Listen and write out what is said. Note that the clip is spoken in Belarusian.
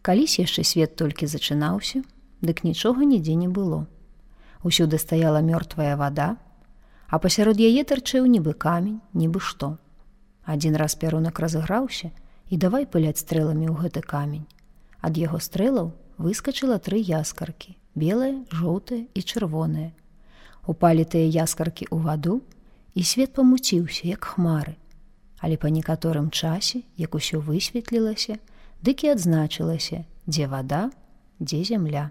Калісь яшчэ свет толькі зачынаўся, дык нічога нідзе не было. Усюды стаяла мёртвая вада, а пасярод яе тарчэў нібы камень, нібы што. Адзін раз пярунак разыграўся і давай пыляць стрэламі ў гэты камень. Ад яго стрэлаў выскачыла 3 яскаркі, белая, жоўтая і чырвоная. Упалі тыя яскаркі ў ваду, і свет памуціўся, як хмары. Але па некаторым часе, як усё высветлілася, дык і адзначылася, дзе вада, дзе зямля.